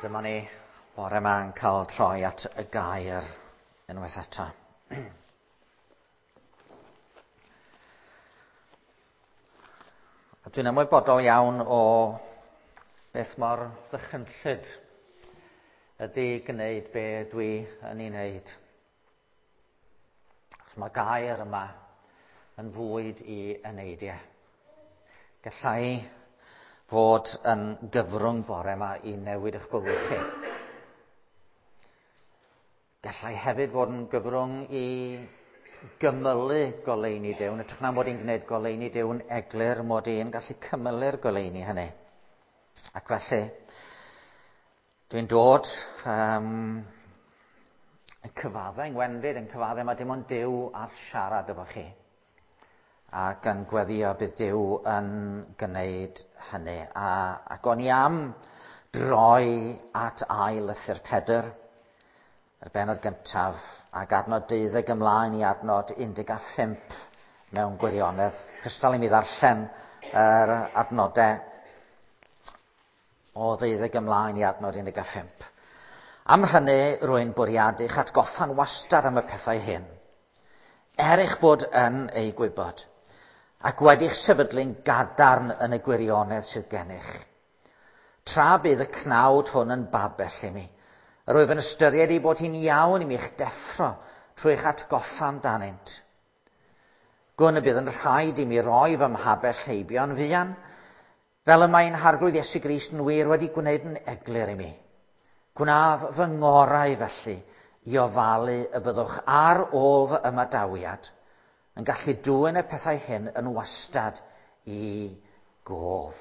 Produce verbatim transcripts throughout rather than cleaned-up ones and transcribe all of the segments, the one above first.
Dyma ni bore yma yn cael troi at y gair unwaith eto. A dwi'n ymwybodol iawn o beth mor ddychrynllyd ydy gwneud be dwi yn ei wneud. Achos mae gair yma yn fwyd i eneidiau. Gallai fod yn gyfrwng bore yma i newid eich bywyd chi. Gallai hefyd fod yn gyfrwng i gymylu goleuni Duw. Yn hytrach na mod i'n gwneud goleuni Duw'n eglur, mod i'n gallu cymylu'r goleuni hynny. Ac felly, dwi'n dod um, yn cyfaddau, yn gwendid, yn cyfaddau mae dim ond Duw all siarad efo chi. Ac yn gweddio bydd Duw yn gwneud hynny. A, ac o'n i am droi at ail lythyr Pedr, yr bennod gyntaf, ac adnod deuddeg ymlaen i adnod un deg pump mewn gwirionedd. Cystal i mi ddarllen yr adnodau o ddeuddeg ymlaen i adnod un deg pump. Am hynny, rwy'n bwriadu eich atgoffa'n wastad am y pethau hyn, er eich bod yn eu gwybod, ac wedi'ch sefydlu'n gadarn yn y gwirionedd sydd gennych. Tra bydd y cnawd hwn yn babell i mi, yr wyf yn ystyried ei bod hi'n iawn i mi'ch deffro trwy eich atgoffa amdanynt. Gwn y bydd yn rhaid i mi roi fy mhabell heibio'n fuan, fel y mae'n Harglwydd Iesu Grist yn wir wedi gwneud yn eglur i mi. Gwnaf fy ngorau felly i ofalu y byddwch ar ôl fy ymadawiad yn gallu dwyn y pethau hyn yn wastad i gof.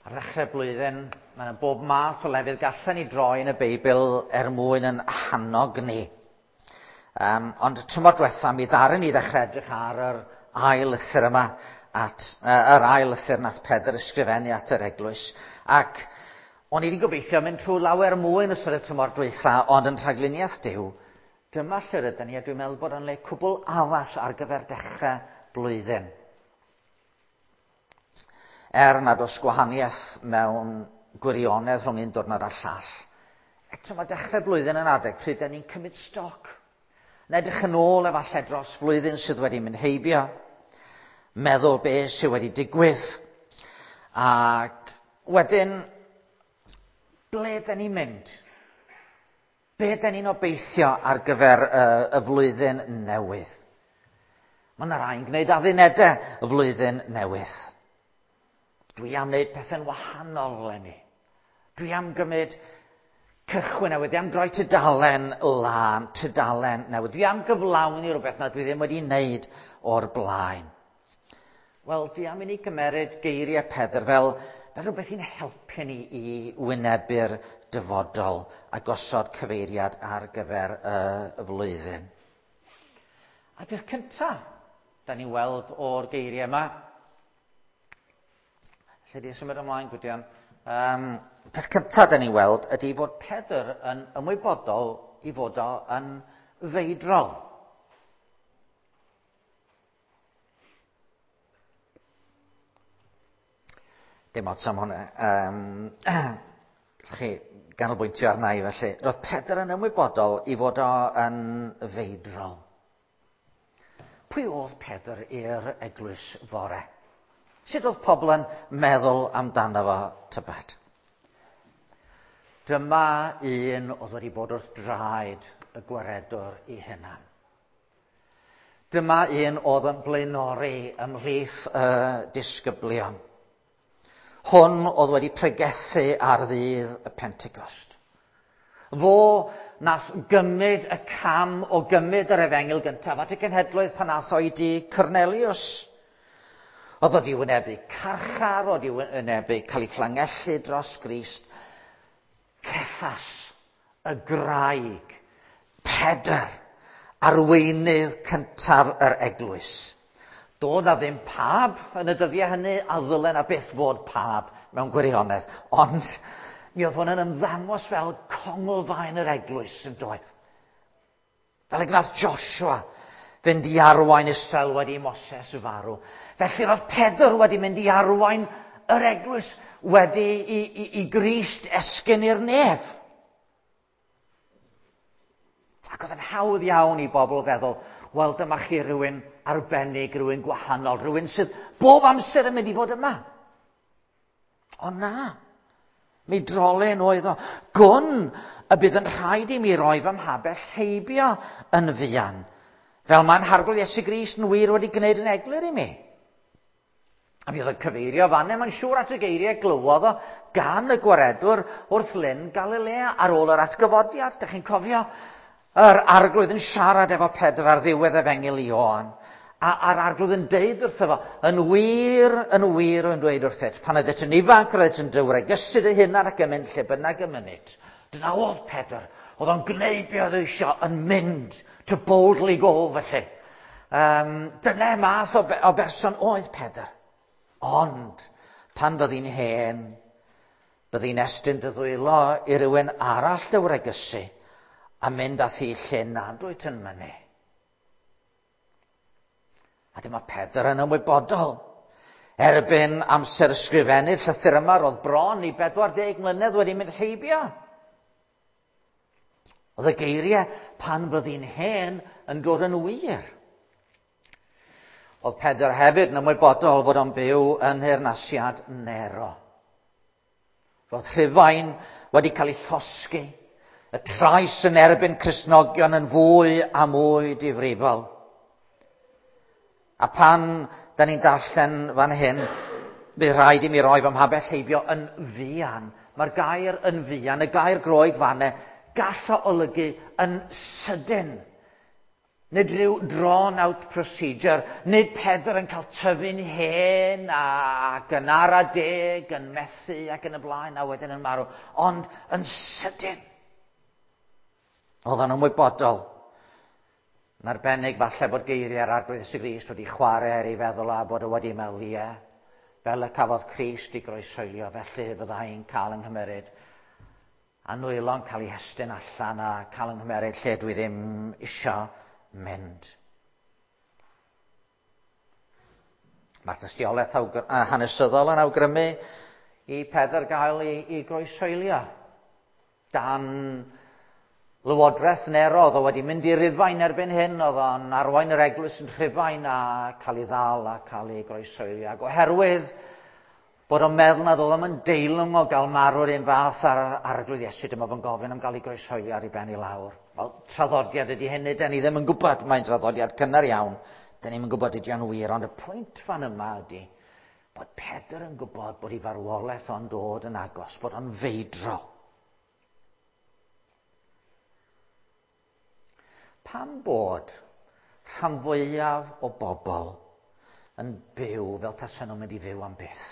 Ar ddechrau blwyddyn, mae yna bob math o lefydd gallen ni droi yn y Beibl er mwyn yn hannog ni. Um, ond tymor diwetha, mi ddaru ni ddechrau edrych ar yr ail lythyr yma, at, uh, yr ail lythyr nath Pedr ysgrifennu at yr eglwys. Ac o'n i wedi gobeithio mynd trwy lawer mwy yn ystod y tymor dwytha, ond yn rhagluniaeth Duw, dyma lle rydyn ni, a dwi'n meddwl bod yn le cwbl addas ar gyfer dechrau blwyddyn. Er nad oes gwahaniaeth mewn gwirionedd rhwng un diwrnod a'r llall, eto mae dechrau blwyddyn yn adeg pryd dan ni'n cymryd stoc. Yn edrych yn ôl efallai dros flwyddyn sydd wedi mynd heibio, meddwl beth sydd wedi digwydd, ac wedyn, ble dan ni'n mynd? Be dan ni'n obeithio ar gyfer y, y flwyddyn newydd? Mae yna rai'n gwneud addunedau y flwyddyn newydd. Dwi am wneud pethau'n wahanol eleni. Dwi am gymryd cychwyn newydd. Dwi am droi tudalen lân, tudalen newydd. Dwi am gyflawni rhywbeth na dwi ddim wedi wneud o'r blaen. Wel, dwi am i ni gymeryd geiriau Pedr fel, fel rhywbeth i'n helpu ni i wynebu'r dyfodol a gosod cyfeiriad ar gyfer y, y flwyddyn. A peth cyntaf, da ni'n weld o'r geiriau yma, lle di symud ymlaen, Gwydion. Um, peth cyntaf da ni'n weld ydy fod Pedr yn ymwybodol i fod o yn feidrol. Dim ots am hwnna. Um, chi ganolbwyntio arna i felly. Roedd Pedr yn ymwybodol i fod o yn feidrol. Pwy oedd Pedr i'r eglwys fore? Sut oedd pobl yn meddwl amdano fo tybed? Dyma un oedd wedi bod wrth draed y gwaredwr i hunan. Dyma un oedd yn blaenori ymhlith y disgyblion. Hwn oedd wedi pregethu ar ddydd y Pentecost. Fo nath gymryd y cam o gymryd yr efengyl gyntaf at y genhedloedd pan ath o i dŷ Cornelius. Oedd wedi wynebu carchar, oedd wedi wynebu cael ei fflangellu dros Grist. Ceffas, y graig, Pedr, arweinydd cyntaf yr eglwys. Doedd na ddim pab yn y dyddiau hynny, a ddylen na byth fod pab mewn gwirionedd. Ond mi oedd hwn yn ymddangos fel conglfaen yr eglwys yn doedd. Fel y gwnaeth Joshua fynd i arwain Israel wedi Moses farw. Felly roedd Pedr wedi mynd i arwain yr eglwys wedi i, i, i Grist esgyn i'r nef. Ac oedd yn hawdd iawn i bobl feddwl, wel, dyma chi rhywun arbennig, rhywun gwahanol, rhywun sydd bob amser yn mynd i fod yma. Ond na, mi drolyn oedd o. Gwn y bydd yn rhaid i mi roi fy mhabell heibio yn fuan, fel mae'n Harglwydd Iesu Grist yn wir wedi gwneud yn eglur i mi. A mi oedd yn cyfeirio fanne, mae'n siŵr at y geiriau glywodd o gan y gwaredwr wrth Lyn Galilea ar ôl yr atgyfodiad. Dych chi'n cofio yr Arglwydd yn siarad efo Pedr ar ddiwedd Efengyl Ioan. A, a'r Arglwydd yn deud wrtho fo, yn wir, yn wir yn dweud wrthyt, pan oeddet yn ifanc, roeddet yn dy wregysu dy hunan ac yn mynd lle bynnag y mynit. Dyna oedd Pedr. Oedd o'n gwneud be oedd eisiau, yn mynd to boldly go felly. Um, dyna math o, o berson oedd Pedr. Ond, pan fyddi'n hen, byddi'n estyn dy ddwylo i rywun arall dy wregysu a mynd â thi lle nad wyt yn mynnu. A dyma Pedr yn ymwybodol. Erbyn amser ysgrifennu'r llythyr yma, roedd bron i bedwar deg mlynedd wedi mynd heibio. Oedd y geiriau pan fyddi'n hen yn dod yn wir. Oedd Pedr hefyd yn ymwybodol fod o'n byw yn nheyrnasiad Nero. Roedd Rhufain wedi cael ei llosgi, y trais yn erbyn Cristnogion yn fwy a mwy difrifol. A pan da ni'n darllen fan hyn, bydd rhaid i mi roi fy mhabell heibio yn fuan. Mae'r gair yn fuan, y gair Groeg fanne, gall o olygu yn sydyn. Nid rhyw drawn out procedure, nid Pedr yn cael tyfu'n hen ac yn ara deg, yn methu ac yn y blaen a wedyn yn marw, ond yn sydyn. Oedd o'n ymwybodol. Yn arbennig falle bod geiriau'r Arglwydd Iesu Grist wedi chwarae ar ei feddwl a bod o wedi meddwl, ie, fel y cafodd Crist i groeshoelio, felly fyddai'n cael yng nghymeryd. A nwylo'n cael ei hestyn allan a cael yng nghymeryd lle dwi ddim isio mynd. Mae'r dystiolaeth hanesyddol yn awgrymu i Pedr gael ei, ei groeshoelio. Dan Lywodraeth Nero, oedd o wedi mynd i Rufain erbyn hyn, oedd o'n arwain yr eglwys yn Rhufain a cael ei ddal a cael ei groeshoelio. Ac oherwydd bod o'n meddwl nad oedd o'n deilwng o gael marw'r un fath ar Arglwydd Iesu, dyma fo'n gofyn am gael ei groeshoelio ar ei ben i lawr. Wel, traddodiad ydy hynny, da ni ddim yn gwybod, mae'n traddodiad cynnar iawn, da ni'm yn gwybod ydy o'n wir, ond y pwynt fan yma ydy bod Pedr yn gwybod bod ei farwolaeth o'n dod yn agos, bod o'n feidrol. Pam bod rhan fwyaf o bobl yn byw fel tasen nhw'n mynd i fyw am byth?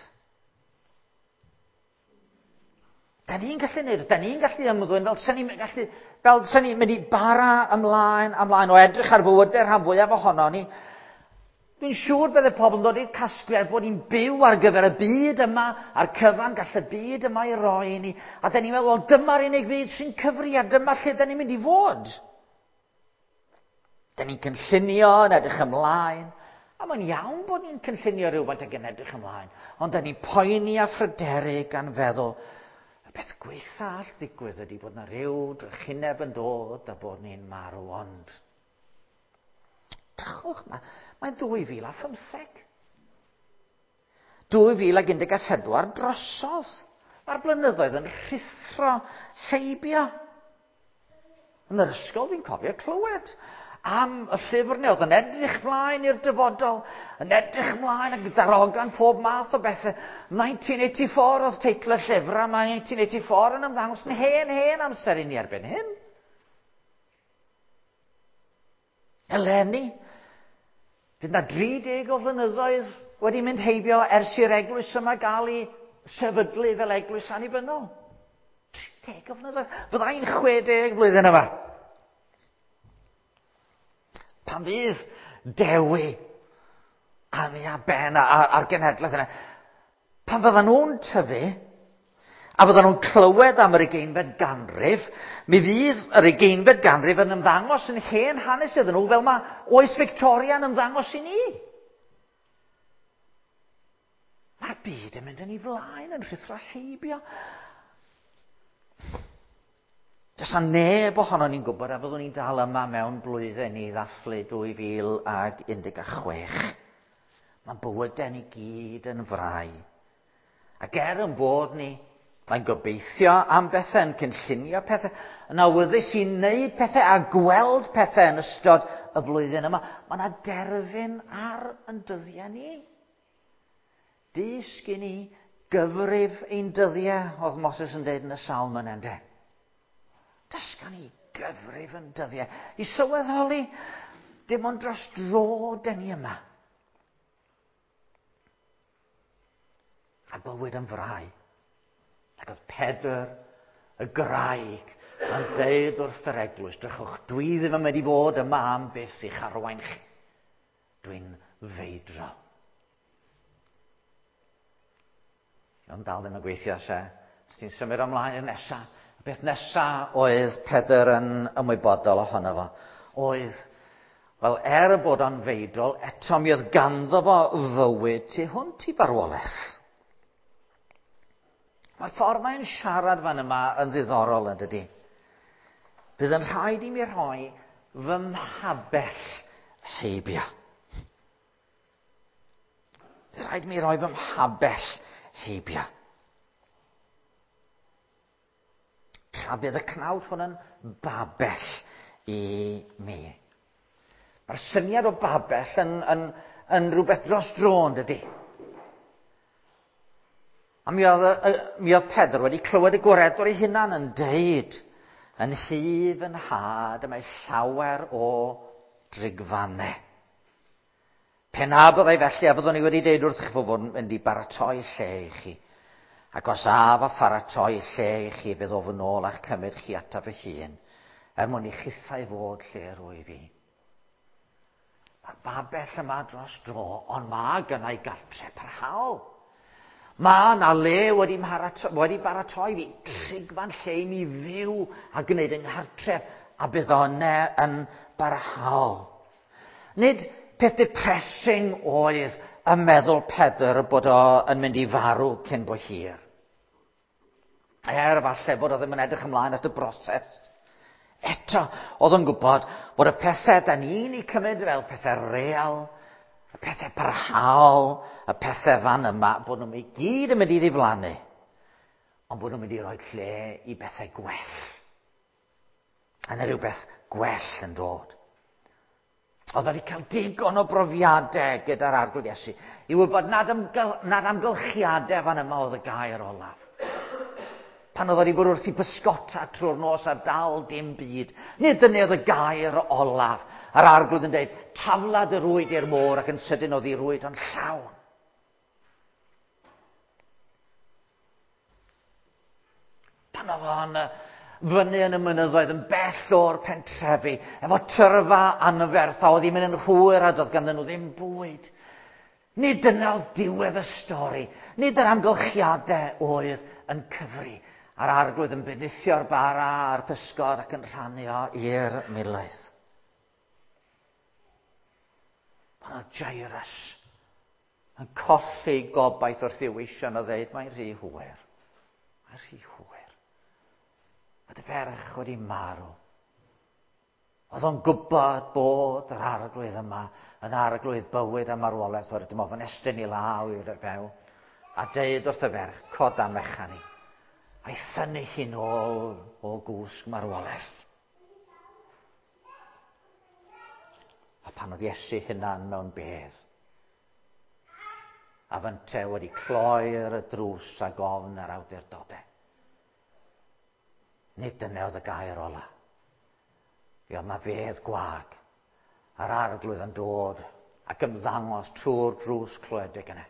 Da ni'n gallu neud, da ni'n gallu ymddwyn fel sen ni'n gallu, fel sen ni'n mynd i bara ymlaen, ymlaen o edrych ar fywydau rhan fwyaf ohono ni. Dwi'n siŵr bydde pobl yn dod i'r casgliad bod ni'n byw ar gyfer y byd yma, a'r cyfan gall y byd yma i roi i ni. A da ni'n meddwl, wel, dyma'r unig fyd sy'n cyfri a dyma lle da ni'n mynd i fod. Da ni'n cynllunio yn edrych ymlaen, a mae'n iawn bod ni'n cynllunio rhywfaint ac yn edrych ymlaen, ond da ni'n poeni a phryderu gan feddwl, y peth gwaetha all ddigwydd ydy bod na rhyw drychineb yn dod a bod ni'n marw, ond drychwch, mae'n dwy fil a phymtheg. dwy fil ac un deg a phedwar drosodd. Mae'r blynyddoedd yn rhuthro heibio. Yn yr ysgol fi'n cofio clywed am y llyfr neu oedd yn edrych mlaen i'r dyfodol, yn edrych mlaen ac ddarogan pob math o bethau. nineteen eighty-four oedd teitl y llyfr, a mae nineteen eighty-four yn ymddangos yn hen, hen amser i ni erbyn hyn. Eleni, fydd na dri deg o flynyddoedd wedi mynd heibio ers i'r eglwys yma gael ei sefydlu fel eglwys annibynnol. tri deg o flynyddoedd. Fyddai'n chwe deg flwyddyn yma. Pan fydd Dewi, Annie a Ben a'r genhedlaeth yna, pan fyddan nhw'n tyfu, a fyddan nhw'n clywed am yr ugeinfed ganrif, mi fydd yr ugeinfed ganrif yn ymddangos yn hen hanes iddyn nhw, fel mae oes Victoria yn ymddangos i ni. Mae'r byd yn mynd yn ei flaen, yn rhuthro heibio. Does 'na neb ohono ni'n gwybod a fyddwn ni'n dal yma mewn blwyddyn i ddathlu dwy fil ag un deg chwech. Mae bywydau ni gyd yn frau. Ac er yn bod ni, mae'n gobeithio am bethau, yn cynllunio pethau, yn awyddus i wneud pethau a gweld pethau yn ystod y flwyddyn yma, mae yna derfyn ar yn dyddiau ni. Dysg i ni gyfrif ein dyddiau, oedd Moses yn dweud yn y salm yna, ynde? Dysga ni gyfrif yn dyddiau. I sylweddoli, dim ond dros dro den ni yma. A bywyd yn frau. Ac oedd Pedr, y graig, yn deud wrth yr eglwys, drychwch, dwi ddim yn mynd i fod yma am byth i'ch arwain chi. Dwi'n feidrol. Ond dal ddim yn gweithio, se. Os ti'n symud ymlaen i'r nesaf. Y beth nesaf oedd Pedr yn ymwybodol ohono fo, oedd, wel, er y bod o'n feidrol, eto mi oedd ganddo fo fywyd tu hwnt i farwolaeth. Mae'r ffordd mae'n siarad fan yma yn ddiddorol, yn dydi? Bydd yn rhaid i mi rhoi fy mhabell heibio. Bydd rhaid i mi roi fy mhabell heibio. Tra bydd y cnawd hwn yn babell i mi. Mae'r syniad o babell yn, yn, yn rhywbeth dros dro, yn dydi? A mi oedd, mi oedd Pedr wedi clywed y gwaredwr ei hunan yn deud, yn hyf yn nhad, y mae llawer o drigfannau. Pe na byddai felly, a fyddwn i wedi deud wrthych chi fod yn mynd i baratoi lle i chi. Ac os af a pharatoi lle i chi, bydd o fy nôl a'ch cymryd chi ataf fy hun, er mwyn i chithau fod lle rwyf fi. Mae'r babell yma dros dro, ond mae gynna i gartre parhaol. Mae yna le wedi, wedi baratoi fi, trigfan lle i mi fyw a gwneud yng nghartref, a bydd o yna yn barhaol. Nid peth depressing oedd y meddwl Pedr bod o yn mynd i farw cyn bo hir. Er falle bod o ddim yn edrych ymlaen at y broses. Eto, oedd o'n gwybod bod y pethau da ni'n eu cymryd fel pethau real, y pethau parhaol, y pethau fan yma, bod nhw'n i gyd yn mynd i ddiflannu, ond bod nhw'n mynd i roi lle i bethau gwell. A yna rhywbeth gwell yn dod. Oedd wedi cael digon o brofiadau gyda'r Arglwydd Iesu i wybod nad, amgyl, nad amgylchiadau fan yma oedd y gair olaf. Pan oedd wedi bod wrth i bysgota trwy'r nos a dal dim byd, nid dyna oedd y gair olaf. A'r Arglwydd yn dweud, tafla dy rwyd i'r môr, ac yn sydyn oedd ei rwyd yn llawn. Pan oedd o'n fyny yn y mynyddoedd, yn bell o'r pentrefi, efo tyrfa anferth, a oedd hi'n mynd yn hwyr a doedd ganddyn nhw ddim bwyd. Nid dyna oedd diwedd y stori, nid yr amgylchiadau oedd yn cyfri, a'r Arglwydd yn bendithio'r bara a'r pysgod ac yn rhannu o i'r miloedd. Pan oedd Jairus yn colli gobaith wrth i'w weision o ddeud, mae'n rhy hwyr, mae'n rhy hwyr. A dy ferch wedi marw. Oedd o'n gwybod bod yr Arglwydd yma yn arglwydd bywyd a marwolaeth, oherwydd dim ofn estyn i law i'r few, a deud wrth y ferch, coda mechan i, a'i thynnu hi nôl o gwsg marwolaeth. A pan oedd Iesu hunan mewn bedd, a fynte wedi cloi'r y drws ag ofn yr awdurdodau, nid dyna oedd y gair ola. Mi oedd 'na fedd gwag, a'r Arglwydd yn dod ac ymddangos trwy'r drws cloedig yna,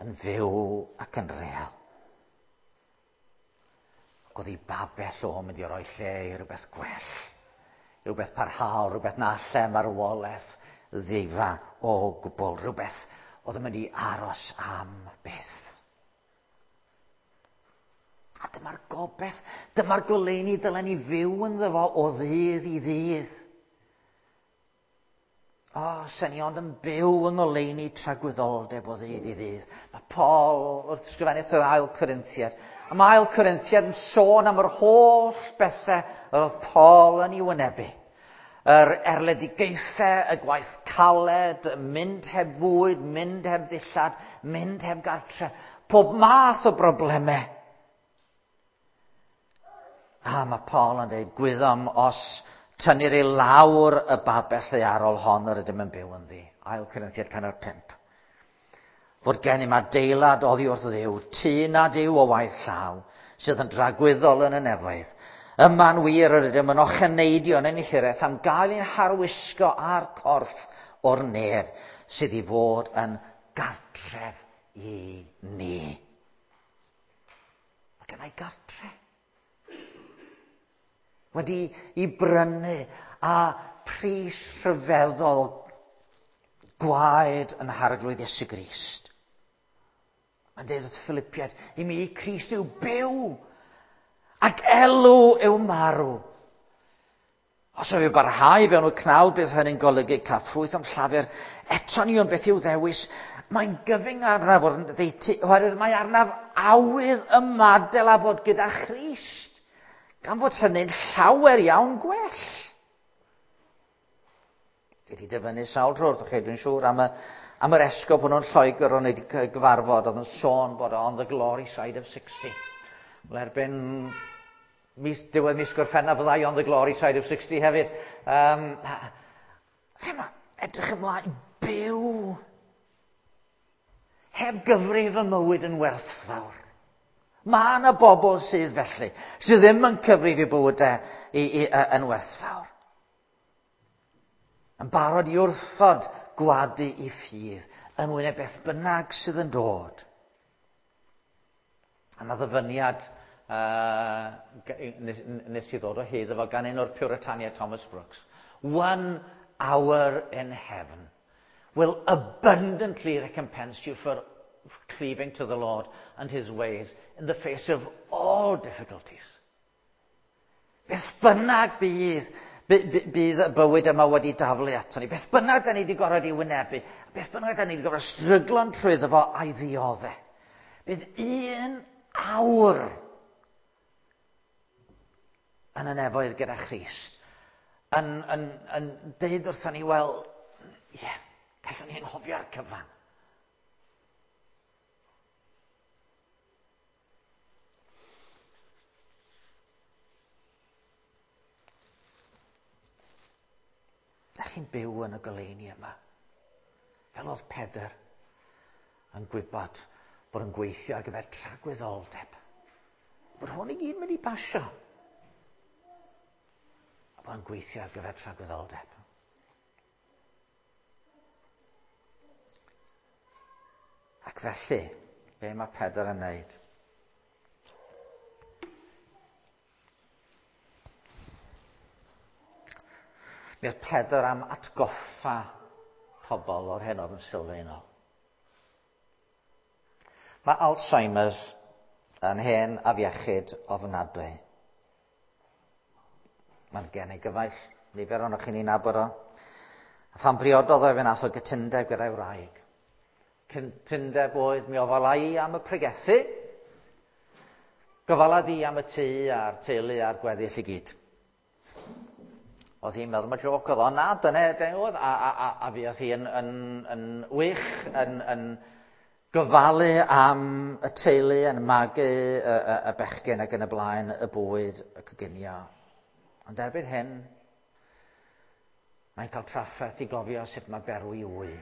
yn fyw ac yn real. Ac oedd ei babell o'n mynd i roi lle i rhywbeth gwell, rhywbeth parhaol, rhywbeth na alle marwolaeth ddifa o gwbl, rhywbeth oedd yn mynd i aros am byth. A dyma'r gobaith, dyma'r goleuni dylen ni fyw ynddo fo o ddydd i ddydd. O, oh, sen ni ond yn byw yng ngoleuni tragwyddoldeb o ddydd i ddydd. Mae Paul wrth ysgrifennu at yr ail Corinthiad. A mae ail Corinthiad yn sôn am yr holl bethau yr oedd Paul yn ei wynebu. Yr erledigaethau, y gwaith caled, mynd heb fwyd, mynd heb ddillad, mynd heb gartre. Pob math o broblemau. A mae Paul yn dweud, gwyddom os tynnir i lawr y babell ddaearol hon yr ydym yn byw ynddi. Ail Corinthiad pennod pump. Fod gennym adeilad oddi wrth Dduw, tŷ nad yw o waith llaw, sydd yn dragwyddol yn y nefoedd. Yma'n wir yr ydym yn ocheneidio yn ein hiraeth am gael ein harwisgo â'r corff o'r nef sydd i fod yn gartref i ni. Mae gennai gartre. Wedi i brynu a pris rhyfeddol gwaed yn Harglwydd Iesu Grist. Mae'n dweud wrth Philippiaid, i mi Crist yw byw ac elw yw marw. Os yw barhau fewn y cnawd, bydd hynny'n golygu cael ffrwyth am llafur. Eto ni ond beth yw ddewis. Mae'n gyfyng arnaf fod yn ddeutu, oherwydd mae arnaf awydd ymadael a bod gyda Christ. Gan fod hynny'n llawer iawn gwell. Dwi wedi dyfynnu sawl tro wrthych chi, dwi'n siŵr, am, y, am yr esgob hwnnw'n Lloegr o'n wedi gyfarfod, oedd yn sôn bod o on the glory side of sixty. Wel, erbyn mis, diwedd mis Gorffennaf fyddai on the glory side of sixty hefyd. Um, lle mae edrych ymlaen, byw. Heb gyfrif y mywyd yn werthfawr. Mae yna bobl sydd felly, sydd ddim yn cyfrif i bywydau i, i, i, yn werthfawr. Yn barod i wrthod gwadu i ffydd yn wyneb beth bynnag sydd yn dod. A yna ddyfyniad uh, nes, nes i ddod o hyd efo gan un o'r Puritaniaid, Thomas Brooks. One hour in heaven will abundantly recompense you for cleaving to the Lord and his ways in the face of all difficulties. Beth bynnag bydd, bydd y bywyd yma wedi daflu ato ni, beth bynnag da ni wedi gorfod i wynebu, beth bynnag da ni wedi gorfod stryglo'n trwyddo fo a'i ddioddef. Bydd un awr yn y nefoedd gyda Christ yn, yn, yn deud wrthon ni, wel, ie, yeah, gallwn ni anghofio'r cyfan. Dach chi'n byw yn y goleuni yma. Fel oedd Pedr yn gwybod bod yn gweithio ar gyfer tragwyddoldeb. Bod hwn i gyd mynd i basio. A bod yn gweithio ar gyfer tragwyddoldeb. Ac felly, be mae Pedr yn wneud? Mi oedd Pedr am atgoffa pobl o'r hyn oedd yn sylfaenol. Mae Alzheimer's yn hen afiechyd ofnadwy. Mae'n gen i gyfaill, nifer ohonoch chi'n ei nabod o. A phan briododd o, fe nath o gytundeb gyda'i wraig. Cytundeb oedd mi ofala i am y pregethu, gofala di am y tŷ a'r teulu a'r gweddill i gyd. Oedd hi'n meddwl, mae joc oedd o, na, dyna, dyna oedd, a, a, a, a fuodd hi yn, yn, yn wych, yn, yn gofalu am y teulu, yn magu y, y, y bechgyn ac yn y blaen, y bwyd, y coginio. Ond erbyn hyn, mae'n cael trafferth i gofio sut mae berwi wy.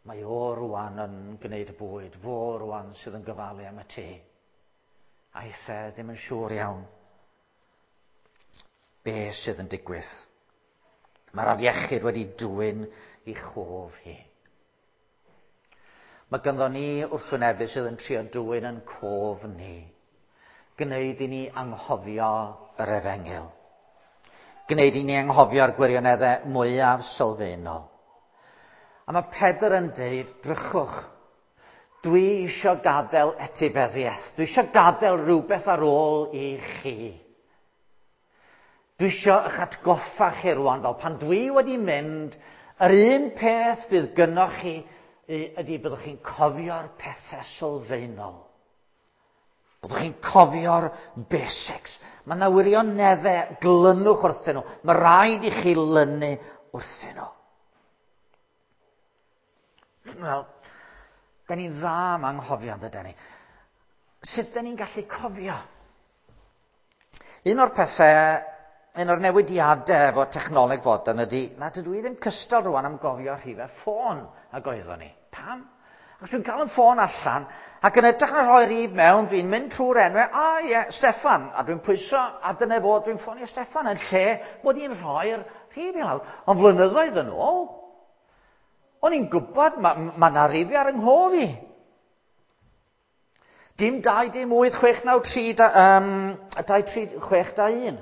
Mae o rwan yn gwneud y bwyd, fo rwan sydd yn gofalu am y tŷ. A eitha ddim yn siŵr iawn be sydd yn digwydd. Mae'r afiechyd wedi dwyn i chof hi. Mae ganddo ni wrthwynebu sydd yn trio dwyn yn cof ni. Gwneud i ni anghofio yr efengyl. Gwneud i ni anghofio'r gwirioneddau mwyaf sylfaenol. A mae Pedr yn deud, drychwch, dwi eisiau gadael etifeddiaeth. Dwi eisiau gadael rhywbeth ar ôl i chi. Dwi isio eich atgoffa chi rwan, fel pan dwi wedi mynd, yr un peth bydd gynnoch chi ydy byddwch chi'n cofio'r pethau sylfaenol. Byddwch chi'n cofio'r basics. Mae yna wirioneddau, glynwch wrthyn nhw. Mae rhaid i chi lynu wrthyn nhw. Wel, da ni'n dda am anghofio, yndydan ni? Sut da ni'n gallu cofio? Un o'r pethau, un o'r newidiadau efo technoleg fodern ydy nad ydw i ddim cystal rwan am gofio rhifau ffôn ag oeddwn ni. Pam? Achos dwi'n cael yn ffôn allan ac yn edrych na rhoi rhif mewn, dwi'n mynd trwy'r enwau, a ie, Steffan, a dwi'n pwyso, a dyna fo, dwi'n ffonio Steffan yn lle mod i'n rhoi'r rhif i lawr. Ond flynyddoedd yn ôl, o'n i'n gwybod, mae ma 'na rifau ar yng nghof i. Dim dau, dim wyth, chwech, naw, tri, da, um, dau, tri, chwech, dau, un.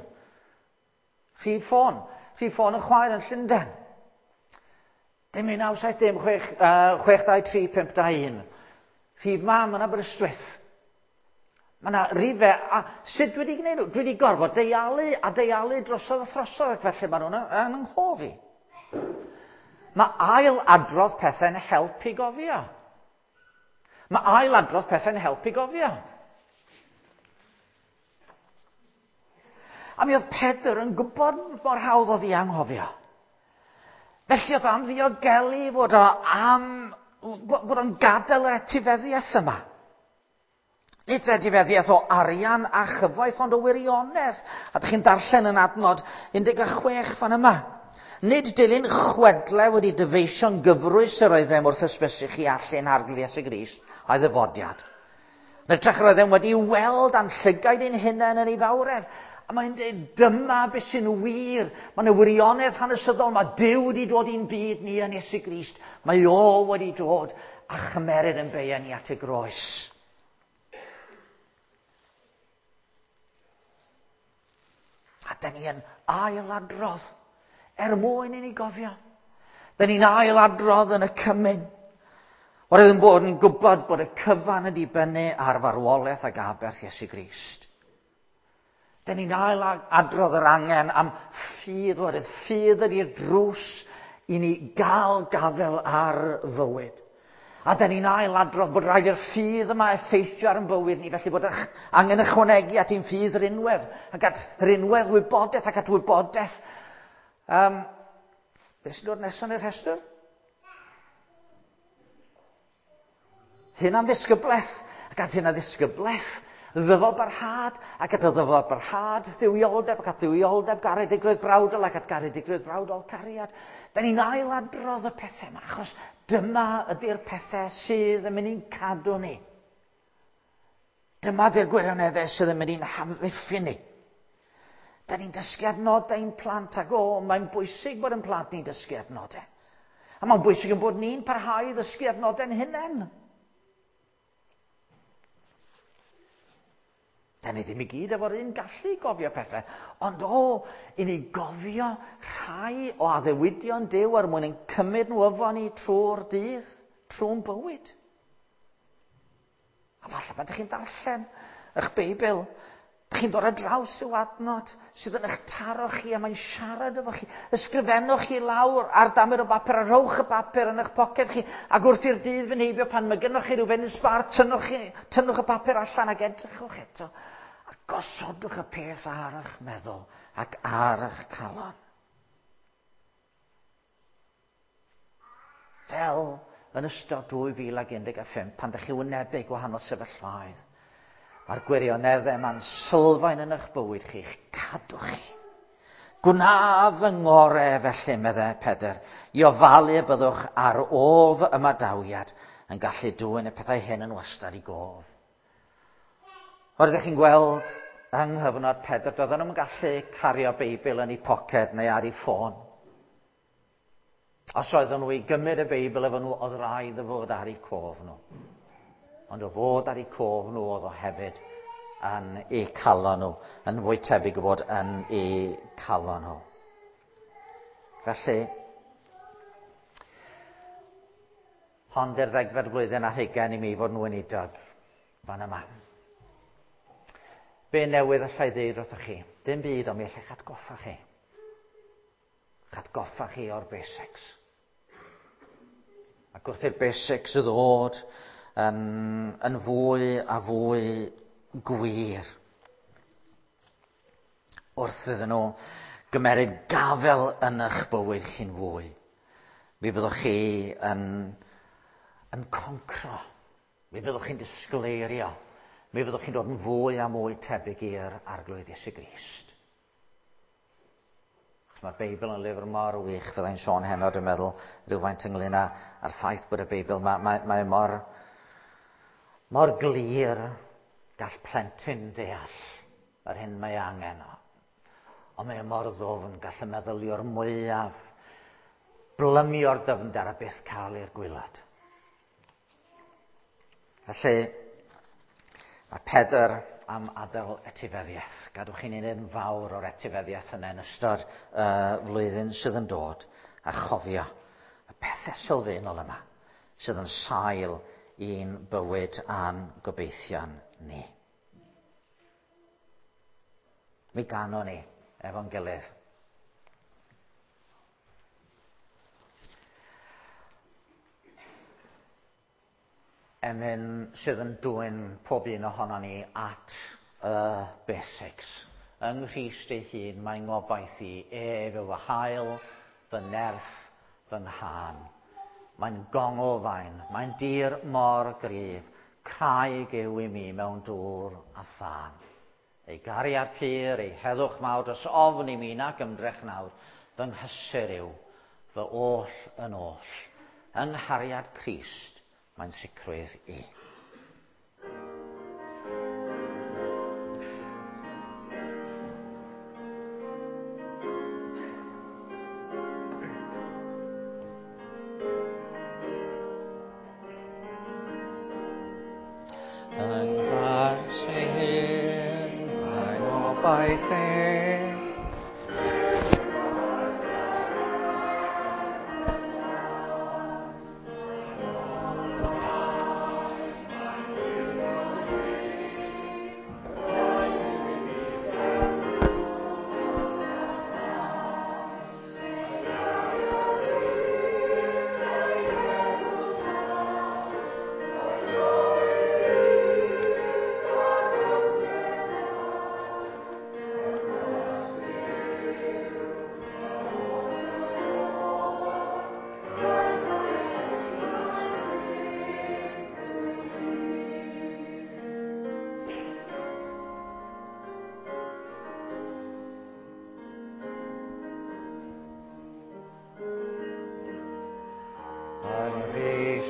Rhif ffôn. Rhif ffôn y chwaer yn Llundain. Dim un naw saith dim chwech, uh, chwech dau tri pump dau un. Rhif mam yn Aberystwyth. Mae yna rifau, a sut dwi wedi gwneud nhw? Dwi wedi gorfod deialu a deialu drosodd a throsodd, ac felly maen nhw'n yn yng nghof i. Mae ail adrodd pethau'n helpu gofio. Mae ail adrodd pethau'n helpu gofio. A mi oedd Pedr yn gwybod mor hawdd oedd i anghofio. Felly oedd am ddiogelu fod o am, bod o'n gadael yr etifeddiaeth yma. Nid etifeddiaeth o arian a chyfoeth, ond o wirionedd. A dych chi'n darllen yn adnod un deg chwech fan yma. Nid dilyn chwedle wedi dyfeisio'n gyfrwys yr oeddem wrth ysbysu chi allu'n Arglwydd Iesu Grist a'i ddyfodiad. Yn hytrach yr oeddem wedi weld a'n llygaid ein hunain yn ei fawredd. A mae'n dweud, dyma beth sy'n wir. Mae'n y wirionedd hanesyddol. Mae Duw wedi dod i'n byd ni yn Iesu Grist. Mae o wedi dod a chymeryd yn beia ni at y groes. A da ni yn ailadrodd er mwyn i ni gofio. Da ni'n ailadrodd yn y cymun. Oherwydd yn bod yn gwybod bod y cyfan yn dibynnu ar farwolaeth ac aberth Iesu Grist. Da ni'n ail adrodd yr angen am ffydd, oherwydd ffydd ydy'r drws i ni gael gafael ar fywyd. A da ni'n ail adrodd bod rhaid i'r ffydd yma effeithio ar ein bywyd ni, felly bod angen ychwanegu at ein ffydd rinwedd, ac at rinwedd wybodaeth ac at wybodaeth. Um, beth sy'n dod nesaf yn y rhestr? Hunan ddisgyblaeth, ac at hunan ddisgyblaeth, ddyfal barhad, ac at y ddyfal barhad, dduwioldeb, ac at dduwioldeb, garedigrwydd brawdol, ac at garedigrwydd brawdol, cariad. Da ni'n ailadrodd y pethau yma, achos dyma ydy'r pethau sydd yn mynd i'n cadw ni. Dyma ydy'r gwirioneddau sydd yn mynd i'n hamddiffyn ni. Da ni'n dysgu adnodau ein plant, ac o, mae'n bwysig bod yn plant ni'n dysgu adnodau. A mae'n bwysig yn bod ni'n parhau i ddysgu adnodau'n hunain. Da ni ddim i gyd efo'r un gallu gofio pethau, ond o, i ni gofio rhai o addewidion Duw er mwyn ein cymryd nhw efo ni trwy'r dydd, trwy'n bywyd. A falle pan ydych chi'n darllen eich Beibl, ydych chi'n dod ar draws yw adnod sydd yn eich taro chi a mae'n siarad efo chi. Ysgrifennwch chi lawr ar damer o bapur a rhowch y bapur yn eich poced chi, ac wrth i'r dydd fynd heibio pan mae gynnoch chi rhyw funud sbâr, tynnwch, chi, tynnwch y papur allan ac edrychwch eto. A gosodwch y peth ar eich meddwl ac ar eich calon. Fel yn ystod dwy fil ac un deg pump, pan ydych chi wynebu gwahanol sefyllfaoedd, mae'r gwirioneddau yma'n sylfaen yn eich bywyd chi, eich cadw chi. Gwna fy ngorau felly, meddai Pedr, i ofalu y byddwch ar ôl fy ymadawiad yn gallu dwyn y pethau hyn yn wastad i gof. Oeddech chi'n gweld yng nghyfnod Pedr, doedden nhw'n gallu cario Beibl yn eu poced neu ar eu ffôn. Os oedden nhw i gymryd y Beibl efo nhw, oedd rhaid i fod ar eu cof nhw. Ond o fod ar eu cof nhw oedd o hefyd yn eu calon nhw, yn fwy tebyg o fod yn eu calon nhw. Felly, hon di'r ddegfed blwyddyn ar hugain i mi fod yn weinidog fan yma. Be newydd allai ddeud wrthych chi? Dim byd, ond mi allai atgoffa chi. Atgoffa chi o'r basics. Ac wrth i'r basics ddod yn, yn fwy a fwy gwir, wrth iddyn nhw gymeryd gafel yn eich bywyd chi'n fwy, mi fyddwch chi yn, yn concro, mi fyddwch chi'n disgleirio, mi fyddwch chi'n dod yn fwy a mwy tebyg i'r Arglwydd Iesu Grist. Achos mae'r Beibl yn lyfr mor wych, fyddai'n sôn heno, dwi'n meddwl, rhywfaint ynglyn â'r ffaith bod y Beibl, mae, mae, mae mor, mor glir gall plentyn ddeall yr hyn mae angen. Ond mae mor ddwfn, gall y meddyliwr mwyaf blymio'r dyfnder a byth cael i'r gwaelod. Felly, mae Pedr am adael etifeddiaeth. Gadwch chi'n un fawr o'r etifeddiaeth yna yn ystod y uh, flwyddyn sydd yn dod, a chofio y pethau sylfaenol yma sydd yn sail i'n bywyd a'n gobeithion ni. Mi ganon ni efo'n gilydd. Emyn sydd yn dwyn pob un ohono ni at y basics. Yng Nghrist ei hun mae ngobaith i, ef yw fy hael, fy nerth, fy nghân. Mae'n gonglfaen, mae'n dir mor gryf, craig yw i mi mewn dŵr a thân. Ei gariad pur, ei heddwch mawr, dros ofn i mi nac ymdrech nawr, fy nghysur yw, fy oll yn oll. Yng nghariad Crist, mae'n sicrwydd i. Yng nghas ei hun, mae gobaith i.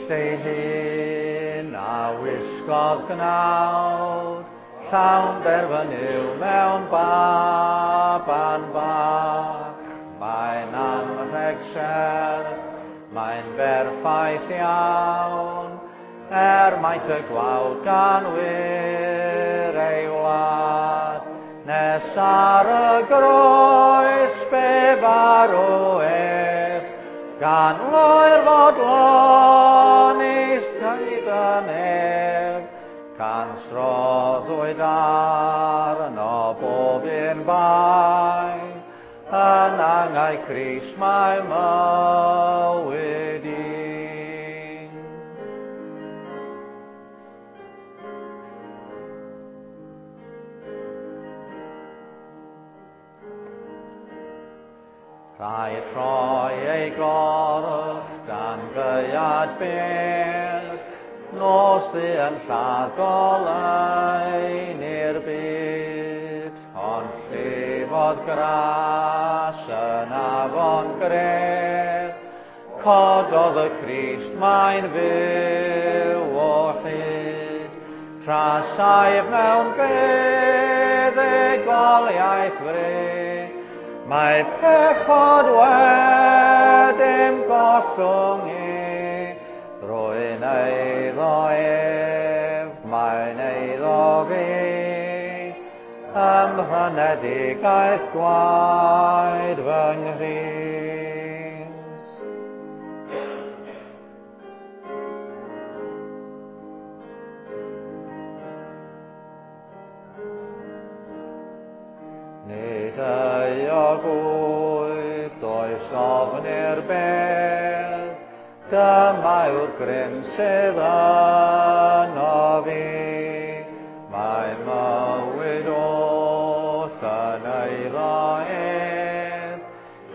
Ei hun a wisgodd gnawd, llawn derfyn yw mewn baban bach. Mae'n anrheg serch, mae'n berffaith iawn, er maint y gwawd gan wir ei wlad. Nes ar y groes fe farw ef, gan loer fodlon hyd y nef, can sroddwyd arno bob un bai, yn angau Crist mae mywyd i. Rhaid rhoi ei gorff dan gaead byr, nos ddu yn lladd goleuni'r byd, ond llifodd gras yn afon gref, cododd y Crist mae'n fyw o hyd, tra saif mewn buddugoliaeth fri, mae pechod wedi'm gollwng i, rwy'n eiddo ef, mae'n eiddo fi, ym mhrynedigaeth gwaed fy Nghrist. Nid euog wyf, does ofn i'r bedd, dyma yw'r grym sydd yno fi. Mae mywyd oll yn eiddo ef,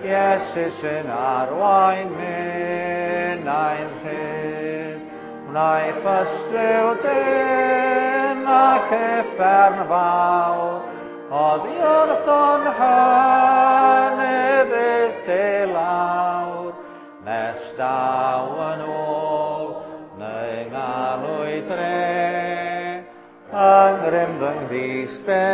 Iesu sy'n arwain minnau'n rhydd. Wnaiff ystryw dyn ac uffern fawr, oddi wrtho'n hynny fyth i lawr, nes daw yn ôl neu ngalw i dre, yng ngrym fy Nghrist fe